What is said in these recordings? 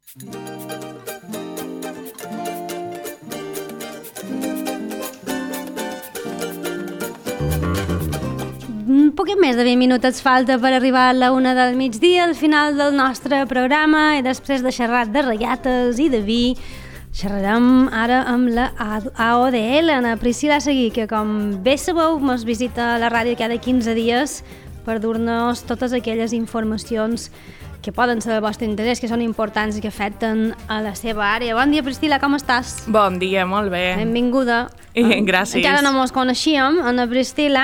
Un poquet més de 20 minutets falta per arribar a la 1 del migdia, al final del nostre programa, i després de xerrar de rallates i de vi, xerrarem ara amb la AODL, la Priscila Seguí, que com bé sabeu ens visita a la ràdio cada 15 dies per dur-nos totes aquelles informacions que poden ser del vostre interès, que són importants i que afecten a la seva àrea. Bon dia, Priscila, com estàs? Bon dia, molt bé. Benvinguda. Gràcies. Encara no ens coneixíem, Anna Priscila,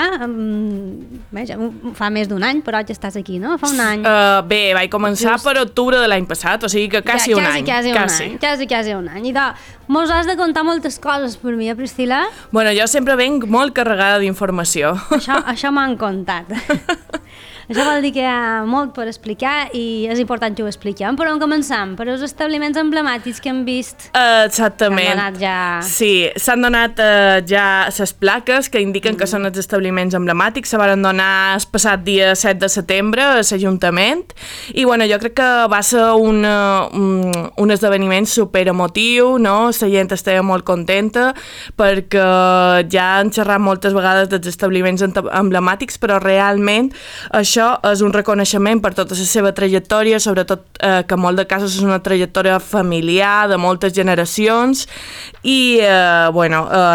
ja fa més d'un any, però ja estàs aquí, no? Fa un any. Bé, vaig començar per octubre de l'any passat, o sigui que quasi un any. Quasi un any. I mos has de contar moltes coses per mi, Priscila? Bueno, jo sempre venc molt carregada d'informació. Això m'han contat. Això vol dir que hi ha molt per explicar i és important que ho expliquem. Per on començam? Per els establiments emblemàtics que hem vist. Exactament. S'han donat ja... Sí, s'han donat ja les plaques que indiquen que són els establiments emblemàtics. Se van donar el passat dia 7 de setembre a l'Ajuntament i bueno, jo crec que va ser un esdeveniment superemotiu, no? La gent estava molt contenta perquè ja han xerrat moltes vegades dels establiments emblemàtics, però realment això és un reconeixement per tota la seva trajectòria, sobretot que en molt de casos és una trajectòria familiar de moltes generacions i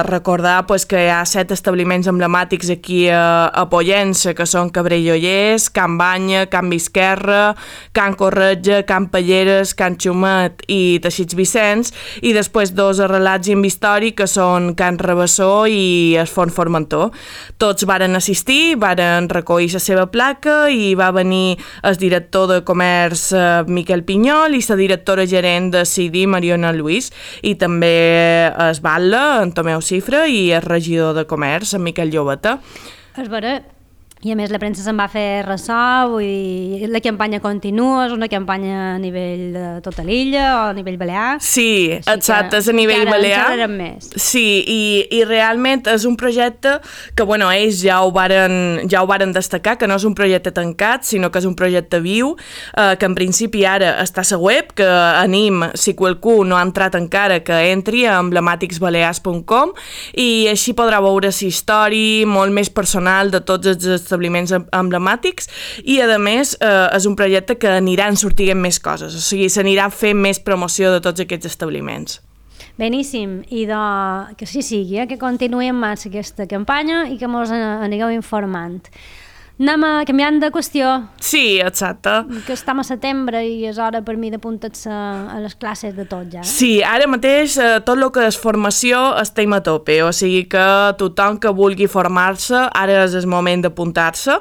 recordar pues, que hi ha 7 establiments emblemàtics aquí a Pollença, que són Cabrellollers, Can Banya, Can Visquerra, Can Corretja, Can Palleres, Can Xumet i Teixits Vicenç, i després 2 arrelats en històric, que són Can Rabassó i el Forn Formentor. Tots varen assistir, varen recollir la seva placa i va venir el director de comerç Miquel Pinyol i la directora gerent de CIDI, Mariona Lluís, i també es batlle, en Tomeu Cifra, i el regidor de comerç, en Miquel Llobeta. És vera. I a més la premsa se'n va fer ressò, vull dir, la campanya continua, és una campanya a nivell de tota l'illa o a nivell balear. Sí, exacte, és a nivell balear. Més. Sí, i realment és un projecte que, bueno, ells ja ho varen destacar, que no és un projecte tancat, sinó que és un projecte viu, que en principi ara està a la web, que anim, si qualcú no ha entrat encara, que entri a emblemàticsbalears.com i així podrà veure la història molt més personal de tots els establiments emblemàtics i, a més, és un projecte que aniran sortint més coses, o sigui, s'anirà fent més promoció de tots aquests establiments. Beníssim, i que sí sigui, que continuï en marxa aquesta campanya i que ens anigueu informant. Anem canviant de qüestió. Sí, exacte. Que estem a setembre i és hora per mi d'apuntar-se a les classes de tot ja. Sí, ara mateix tot el que és formació estem a tope, o sigui que tothom que vulgui formar-se, ara és el moment d'apuntar-se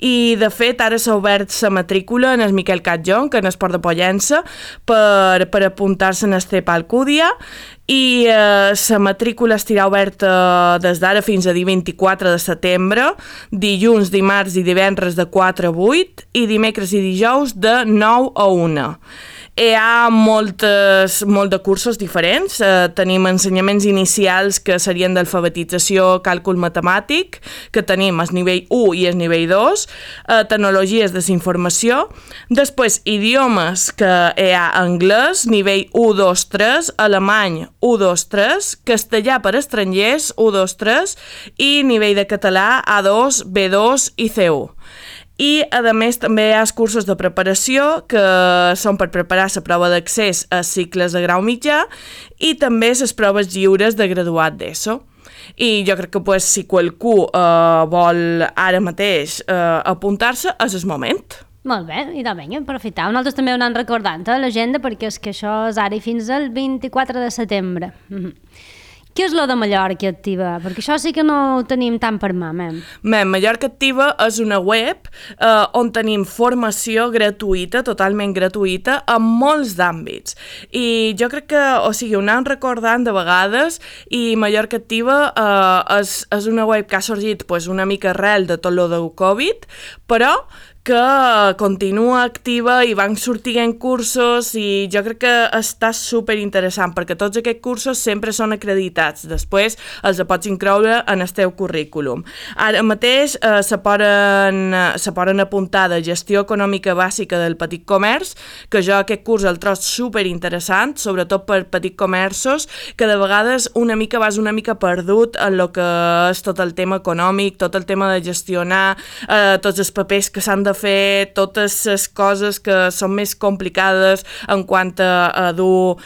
i de fet ara s'ha obert la matrícula en el Miquel Catjón, que en Esport de Pollença, per apuntar-se en el CEP Alcúdia i la matrícula estarà oberta des d'ara fins a dia 24 de setembre, dilluns, dimarts i divendres de 4 a 8 i dimecres i dijous de 9 a 1. Hi ha molt de cursos diferents. Tenim ensenyaments inicials que serien d'alfabetització, càlcul matemàtic, que tenim el nivell 1 i el nivell 2, tecnologies de la informació, després idiomes, que hi ha anglès, nivell 1, 2, 3, alemany 1, 2, 3, castellà per estrangers 1, 2, 3 i nivell de català A2, B2 i C1. I, a més, també hi ha els cursos de preparació, que són per preparar la prova d'accés a cicles de grau mitjà i també les proves lliures de graduat d'ESO. I jo crec que si qualcú vol ara mateix apuntar-se, és el moment. Molt bé, i vinga, aprofitar. Nosaltres també ho anem recordant a l'agenda, perquè és que això és ara i fins al 24 de setembre. Què és lo de Mallorca Activa? Perquè això sí que no ho tenim tant per mà. Mallorca Activa és una web on tenim formació gratuïta, totalment gratuïta, en molts d'àmbits. I jo crec que, ho anem recordant de vegades, i Mallorca Activa és una web que ha sorgit una mica arrel de tot lo del Covid, però que continua activa i van sortint cursos i jo crec que està superinteressant perquè tots aquests cursos sempre són acreditats. Després els pots incloure en el teu currículum. Ara mateix se poden apuntar de gestió econòmica bàsica del petit comerç, que jo aquest curs el trobo superinteressant, sobretot per petits comerços, que de vegades vas una mica perdut en el que és tot el tema econòmic, tot el tema de gestionar tots els papers que s'han de fer, totes les coses que són més complicades en quant a dur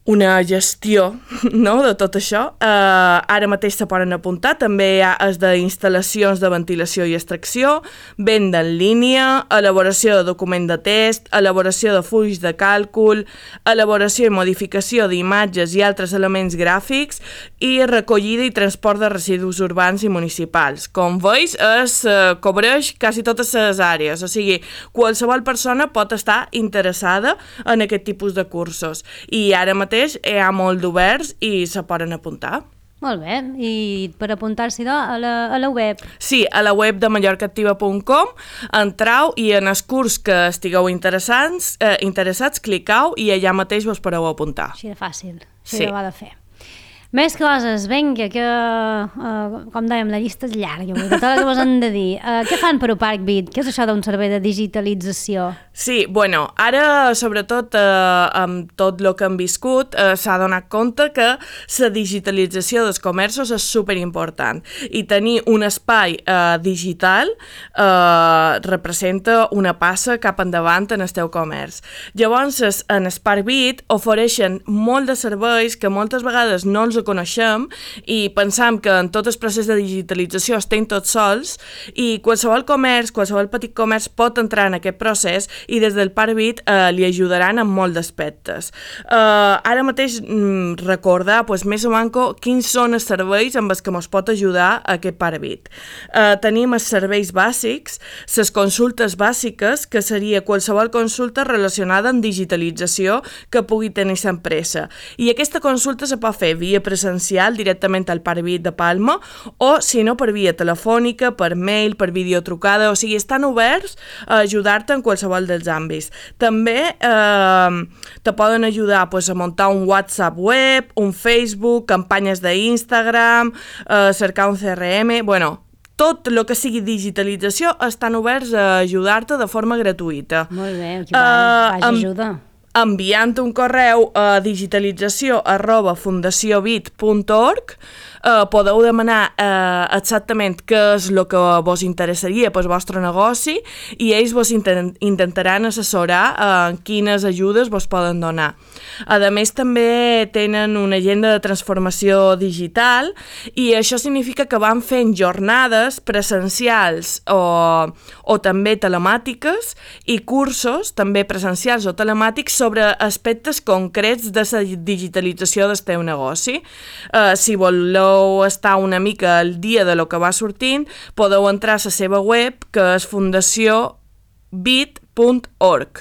una gestió, no?, de tot això. Ara mateix se poden apuntar, també hi ha els d'instal·lacions de ventilació i extracció, venda en línia, elaboració de document de test, elaboració de fulls de càlcul, elaboració i modificació d'imatges i altres elements gràfics i recollida i transport de residus urbans i municipals. Com veus, cobreix quasi totes les àrees, o sigui, qualsevol persona pot estar interessada en aquest tipus de cursos. I ara mateix hi ha molt d'oberts i se poden apuntar. Molt bé, i per apuntar-s'hi a la web? Sí, a la web de mallorcaactiva.com entreu i en el curs que estigueu interessats, clicau i allà mateix vos podeu apuntar. Així de fàcil, així ho ha de fer. Més coses, vinga, que, com dèiem, la llista és llarga, tot el que vos han de dir. Què fan per Uparkbit? Què és això d'un servei de digitalització? Sí, bueno, ara, sobretot, amb tot el que hem viscut, s'ha donat compte que la digitalització dels comerços és superimportant i tenir un espai digital representa una passa cap endavant en el teu comerç. Llavors, en Uparkbit ofereixen molt de serveis que moltes vegades no els coneixem i pensam que en tot el procés de digitalització estem tots sols i qualsevol petit comerç pot entrar en aquest procés i des del Uparkbit li ajudaran en molts aspectes. Ara mateix recordar més o menys quins són els serveis amb els que ens pot ajudar aquest Uparkbit. Tenim els serveis bàsics, les consultes bàsiques, que seria qualsevol consulta relacionada amb digitalització que pugui tenir l'empresa. I aquesta consulta se pot fer via presencial directament al Uparkbit de Palma o, si no, per via telefònica, per mail, per videotrucada, o sigui, estan oberts a ajudar-te en qualsevol dels àmbits. També te poden ajudar a muntar un WhatsApp web, un Facebook, campanyes d'Instagram, cercar un CRM, tot el que sigui digitalització estan oberts a ajudar-te de forma gratuïta. Molt bé, aquí vaig ajuda. Enviant un correu a digitalització@fundaciobit.org podeu demanar exactament què és el que vos interessaria pel vostre negoci i ells vos intentaran assessorar en quines ajudes vos poden donar. A més, també tenen una agenda de transformació digital i això significa que van fent jornades presencials o també telemàtiques i cursos, també presencials o telemàtics, sobre aspectes concrets de la digitalització del teu negoci. Si voleu estar una mica al dia de lo que va sortint, podeu entrar a la seva web, que és fundaciobit.org,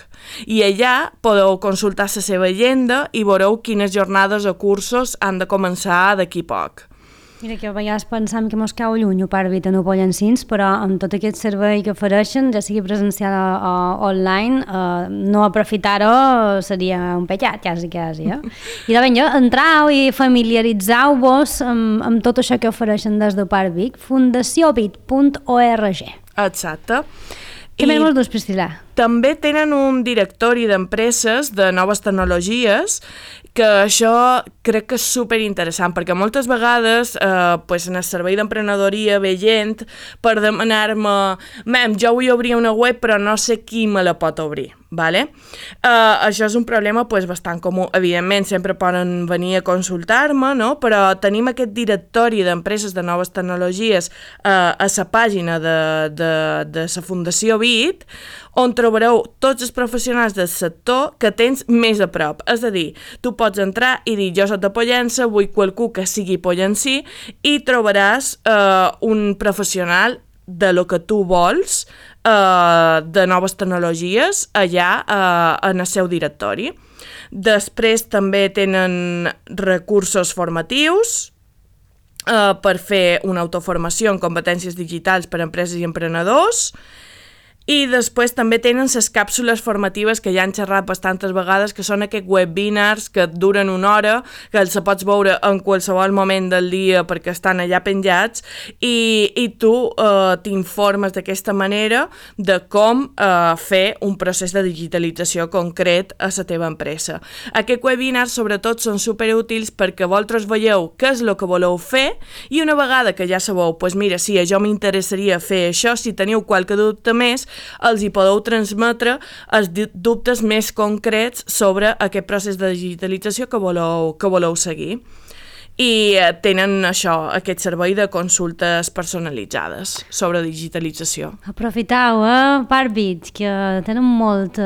i allà podeu consultar la seva agenda i veureu quines jornades o cursos han de començar d'aquí poc. Mira, que a vegades pensam que mos cau lluny Uparkbit en Upollensins, però amb tot aquest servei que ofereixen, ja sigui presencial o online, no aprofitar-ho seria un pecat, quasi. I de ben entrau i familiaritzeu-vos amb tot això que ofereixen des d'Uparkbit, fundaciobit.org. Exacte. Què més vols dus, Priscila? També tenen un directori d'empreses de noves tecnologies, que això crec que és superinteressant, perquè moltes vegades en el servei d'emprenedoria ve gent per demanar-me jo vull obrir una web però no sé qui me la pot obrir. Vale? Això és un problema bastant comú. Evidentment, sempre poden venir a consultar-me, no? Però tenim aquest directori d'empreses de noves tecnologies a la pàgina de la Fundació Bit, on trobareu tots els professionals del sector que tens més a prop. És a dir, tu pots entrar i dir jo soc de Pollença, vull qualcú que sigui pollensí, i trobaràs un professional de lo que tu vols, de noves tecnologies, allà en el seu directori. Després també tenen recursos formatius, per fer una autoformació en competències digitals per a empreses i emprenedors. I després també tenen les càpsules formatives que ja han xerrat bastantes vegades, que són aquests webinars que duren una hora, que els pots veure en qualsevol moment del dia perquè estan allà penjats, i tu t'informes d'aquesta manera de com fer un procés de digitalització concret a la teva empresa. Aquests webinars sobretot són superútils perquè vosaltres veieu què és el que voleu fer i una vegada que ja sabeu, doncs mira, sí, a jo m'interessaria fer això, si teniu qualque dubte més, els hi podeu transmetre els dubtes més concrets sobre aquest procés de digitalització que voleu seguir. I tenen aquest servei de consultes personalitzades sobre digitalització. Aprofitau, Parbit, que tenen molt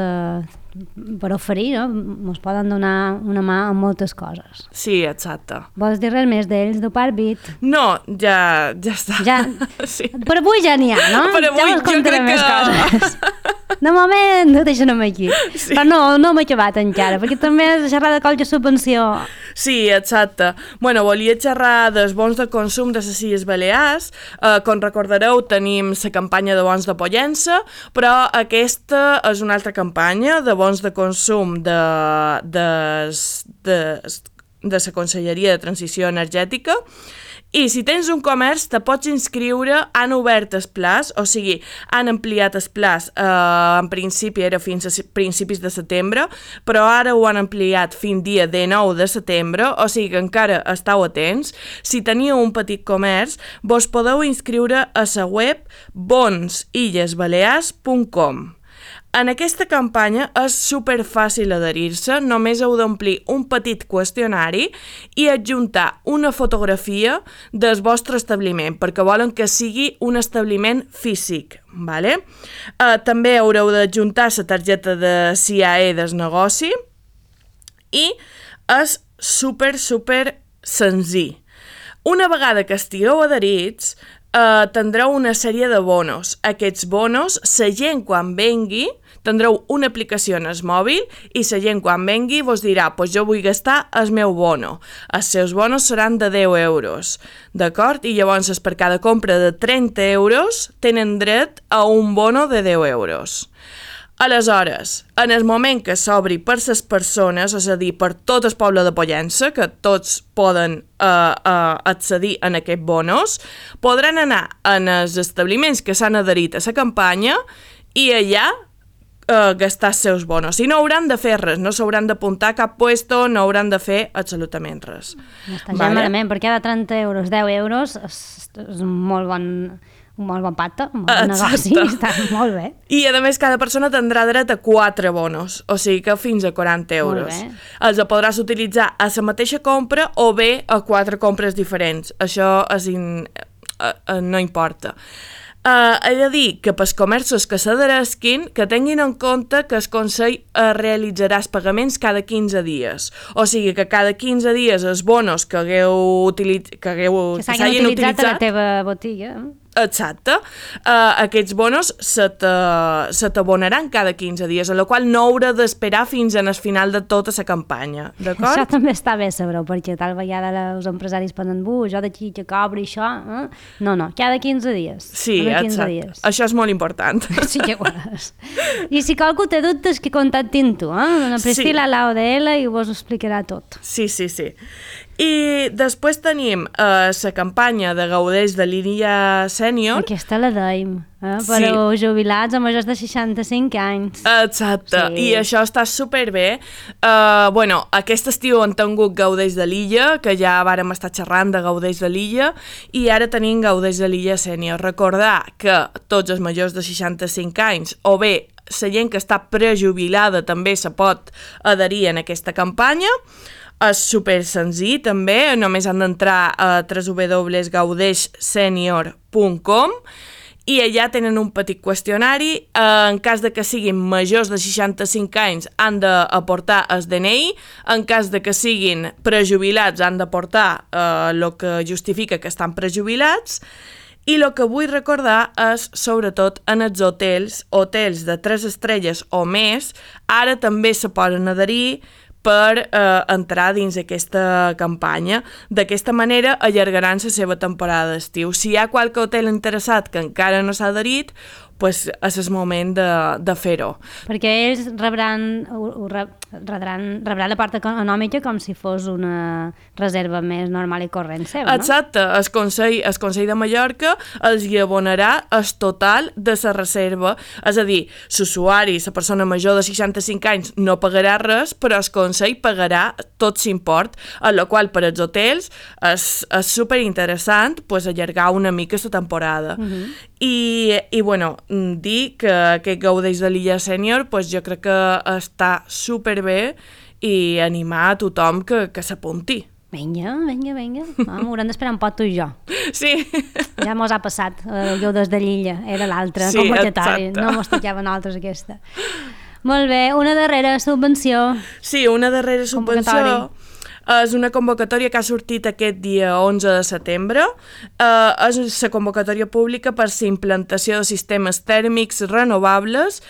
per oferir, no? Ens poden donar una mà en moltes coses. Sí, exacte. Vols dir res més d'ells, de Parbit? No, ja està. Ja, sí. Per avui ja n'hi ha, no? Per avui ja jo crec més coses. De moment, deixa'm aquí. Sí. Però no m'he acabat encara, perquè també has de xerrar de qualque subvenció. Sí, exacte. Bueno, volia xerrar dels bons de consum de les Illes Balears. Com recordareu, tenim la campanya de bons de Pollença, però aquesta és una altra campanya de bons de consum de la Conselleria de Transició Energètica. I si tens un comerç, te pots inscriure, han obert el plaç, o sigui, han ampliat el plaç, en principi era fins a principis de setembre, però ara ho han ampliat fins dia 19 de setembre, o sigui que encara esteu atents. Si teniu un petit comerç, vos podeu inscriure a la web bonsillesbalears.com. En aquesta campanya és superfàcil adherir-se, només heu d'omplir un petit qüestionari i adjuntar una fotografia del vostre establiment, perquè volen que sigui un establiment físic. Vale? També haureu d'adjuntar la targeta de CIAE del negoci i és super senzill. Una vegada que estigueu adherits, tindreu una sèrie de bonos. Aquests bonos, la gent quan vengui, tindreu una aplicació en el mòbil i la gent quan vengui vos dirà pues jo vull gastar el meu bono. Els seus bonos seran de 10 euros, d'acord? I llavors per cada compra de 30 euros tenen dret a un bono de 10 euros. Aleshores, en el moment que s'obri per les persones, és a dir, per tot el poble de Pollença, que tots poden accedir a aquests bonos, podran anar en els establiments que s'han adherit a la campanya i allà gastar els seus bonos. I no hauran de fer res, no s'hauran d'apuntar a cap puesto, no hauran de fer absolutament res. No està gens malament, perquè cada 30 euros, 10 euros és un molt bon pacte, un bon negoci, està molt bé. I a més cada persona tindrà dret a 4 bonos, o sigui que fins a 40 euros. Els podràs utilitzar a la mateixa compra o bé a 4 compres diferents, això no importa. He de dir que pels comerços que s'adheresquin, que tinguin en compte que el Consell realitzarà els pagaments cada 15 dies. O sigui que cada 15 dies els bonos que s'hagin utilitzat a la teva botiga. Exacte. Aquests bonos se t'abonaran cada 15 dies, a la qual no haurà d'esperar fins al final de tota la campanya, d'acord? Això també està bé saber-ho, perquè tal vegada els empresaris pensen, jo d'aquí que cobri això, No, cada 15 dies. Sí, exacte. Això és molt important. Sí que ho és. I si qualcú té dubtes, que contactin tu, la Priscila a l'AODL i vos ho explicarà tot. Sí. I després tenim la campanya de Gaudeix de l'Illa Sènior. Aquesta la dèiem, per als jubilats a majors de 65 anys. Exacte, sí. I això està superbé. Aquest estiu han tingut Gaudeix de l'Illa, que ja vàrem estar xerrant de Gaudeix de l'Illa, i ara tenim Gaudeix de l'Illa Sènior. Recordar que tots els majors de 65 anys, o bé la gent que està prejubilada també se pot adherir en aquesta campanya. És super senzill també, només han d'entrar a www.gaudeixsenior.com i allà tenen un petit qüestionari. En cas de que siguin majors de 65 anys han d'aportar el DNI, en cas de que siguin prejubilats han d'aportar el que justifica que estan prejubilats. I el que vull recordar és, sobretot, en els hotels de 3 estrelles o més, ara també se poden adherir per entrar dins aquesta campanya. D'aquesta manera allargaran la seva temporada d'estiu. Si hi ha qualque hotel interessat que encara no s'ha adherit, pues és el moment de fer-ho. Perquè ells rebran la part econòmica com si fos una reserva més normal i corrent seva, no? Exacte, el Consell de Mallorca els hi abonarà el total de la reserva, és a dir, l'usuari, la persona major de 65 anys no pagarà res, però el Consell pagarà tot l'import, a la qual per als hotels és superinteressant pues, allargar una mica la temporada. I bueno, dir que aquest gaudeix de l'illa sènior pues, jo crec que està superbé i animar a tothom que s'apunti. Vinga. Haurem d'esperar un pot tu i jo. Sí. Ja mos ha passat. Jo des de l'illa, era l'altra, sí, convocatòria. No mos tocava a nosaltres aquesta. Molt bé, una darrera subvenció. Sí, una darrera subvenció. És una convocatòria que ha sortit aquest dia 11 de setembre. És la convocatòria pública per la implantació de sistemes tèrmics renovables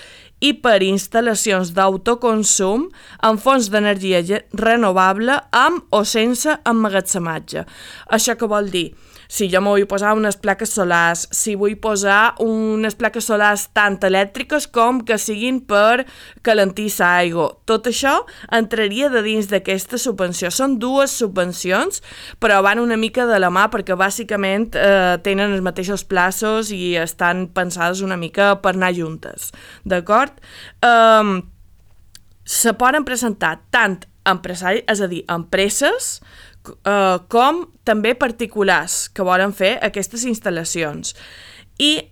i per instal·lacions d'autoconsum amb fonts d'energia renovable amb o sense emmagatzematge. Això què vol dir? Si jo me vull posar unes plaques solars, si vull posar unes plaques solars tant elèctriques com que siguin per calentir l'aigua, tot això entraria de dins d'aquesta subvenció. Són dues subvencions, però van una mica de la mà perquè bàsicament tenen els mateixos plaços i estan pensades una mica per anar juntes, d'acord? Se poden presentar tant empresaris, és a dir, empreses, com també particulars que volen fer aquestes instal·lacions. I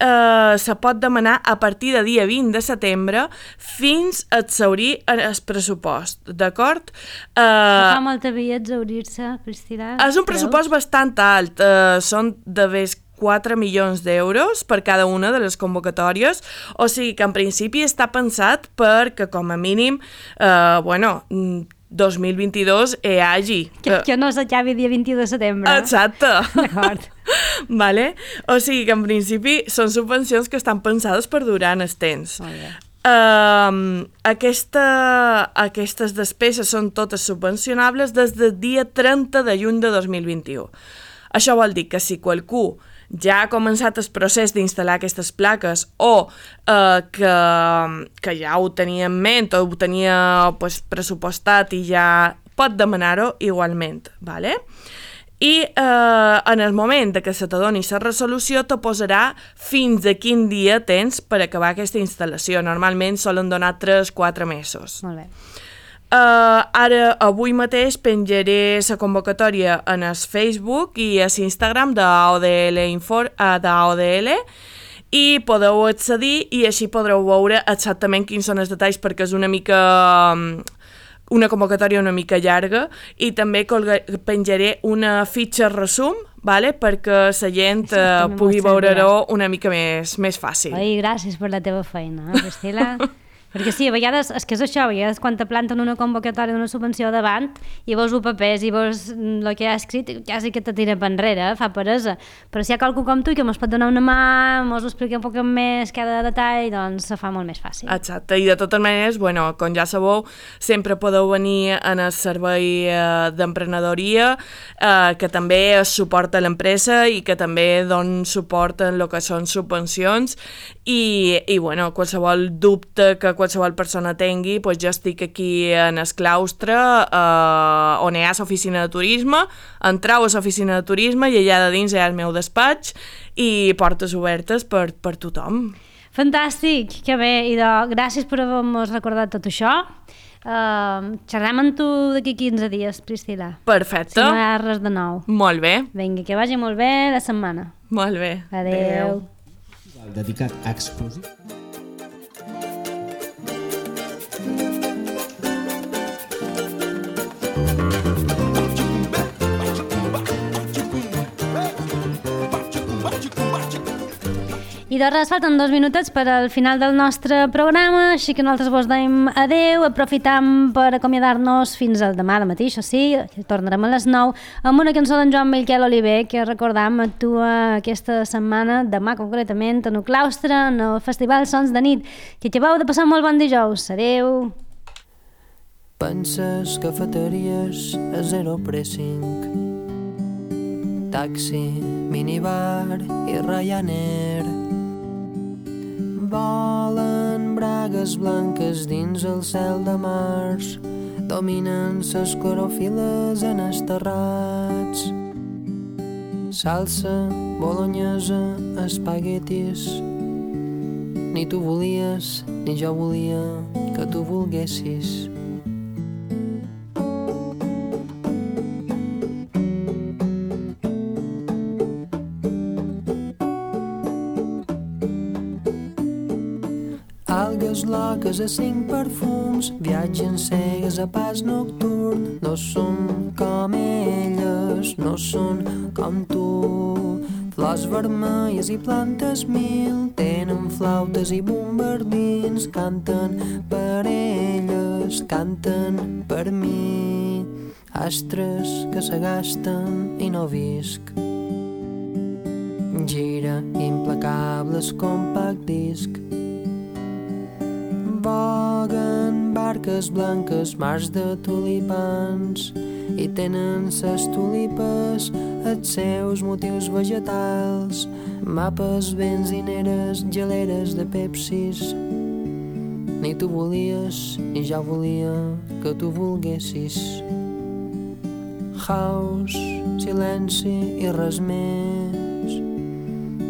se pot demanar a partir de dia 20 de setembre fins a exhaurir el pressupost, d'acord? Fa molta via exhaurir-se, Priscila. És un pressupost bastant alt, són de més 4 milions d'euros per cada una de les convocatòries, o sigui que en principi està pensat perquè com a mínim, 2022 hi hagi. Que no s'acabi dia 21 de setembre. Exacte. D'acord. Vale? O sigui que en principi són subvencions que estan pensades per durar en el temps. Aquestes despeses són totes subvencionables des del dia 30 de juny de 2021. Això vol dir que si qualcú ja ha començat el procés d'instal·lar aquestes plaques o que ja ho tenia en ment o ho tenia pressupostat i ja pot demanar-ho igualment. Vale? I en el moment que se t'adoni la resolució te posarà fins a quin dia tens per acabar aquesta instal·lació. Normalment solen donar 3-4 mesos. Molt bé. Ara, avui mateix, penjaré la convocatòria en el Facebook i a l'Instagram d'AODL i podeu accedir i així podreu veure exactament quins són els detalls perquè és una convocatòria una mica llarga i també penjaré una fitxa resum, vale? Perquè la gent pugui veure-ho una mica més fàcil. Ai, gràcies per la teva feina, Priscila. Perquè sí, a vegades, és que és això, a vegades quan te planten una convocatòria d'una subvenció davant i veus els papers i veus el que ha escrit, quasi que te tira per enrere, fa peresa. Però si hi ha qualcú com tu que mos pot donar una mà, mos ho explica un poc més cada detall, doncs se fa molt més fàcil. Exacte, i de totes maneres, com ja sabeu, sempre podeu venir en el servei d'emprenedoria, que també es suporta l'empresa i que també don suport en el que són subvencions i qualsevol dubte que qualsevol persona tingui, doncs jo estic aquí en el claustre on hi ha l'oficina de turisme, entrau a l'oficina de turisme i allà de dins hi ha el meu despatx i portes obertes per tothom. Fantàstic, que bé, i gràcies per haver-nos recordat tot això. Xerrem amb tu d'aquí 15 dies, Priscila. Perfecte. Si no hi ha res de nou. Molt bé. Vinga, que vagi molt bé la setmana. Molt bé. Adéu. Dedicat exclusiu. I de res, falten 2 minutets per al final del nostre programa, així que nosaltres vos dèiem adeu, aprofitam per acomiadar-nos fins al demà de matí, això sí, tornarem a les 9 amb una cançó d'en Joan Miquel Oliver, que recordam actua aquesta setmana, demà concretament, en el claustre, en el Festival Sons de Nit. Que acabeu de passar molt bon dijous. Adeu! Penses cafeteries a zero pressing, taxi, minibar i Ryanair. Volen bragues blanques dins el cel de març, dominen ses clorofiles en els terrats. Salsa, bolognesa, espaguetis. Ni tu volies, ni jo volia que tu volguessis. Algues loques a 5 perfums, viatgen cegues a pas nocturn. No són com elles, no són com tu. Flors vermelles i plantes mil, tenen flautes i bombardins. Canten per elles, canten per mi. Astres que s'agasten i no visc. Gira implacables compact disc. Voguen barques blanques, mars de tulipans, i tenen ses tulipes els seus motius vegetals. Mapes, benzineres, geleres de Pepsis. Ni tu volies, ni jo volia que tu volguessis. House, silenci i res més.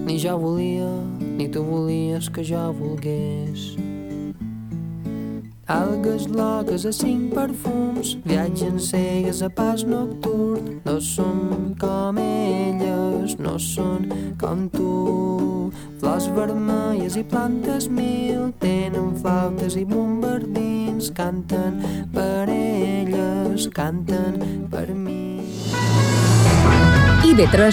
Ni jo volia, ni tu volies que jo volgués. Algues loques a 5 perfums, viatgen cegues a pas nocturn. No són com elles, no són com tu. Flors vermelles i plantes mil, tenen flautes i bombardins. Canten per elles, canten per mi. IB3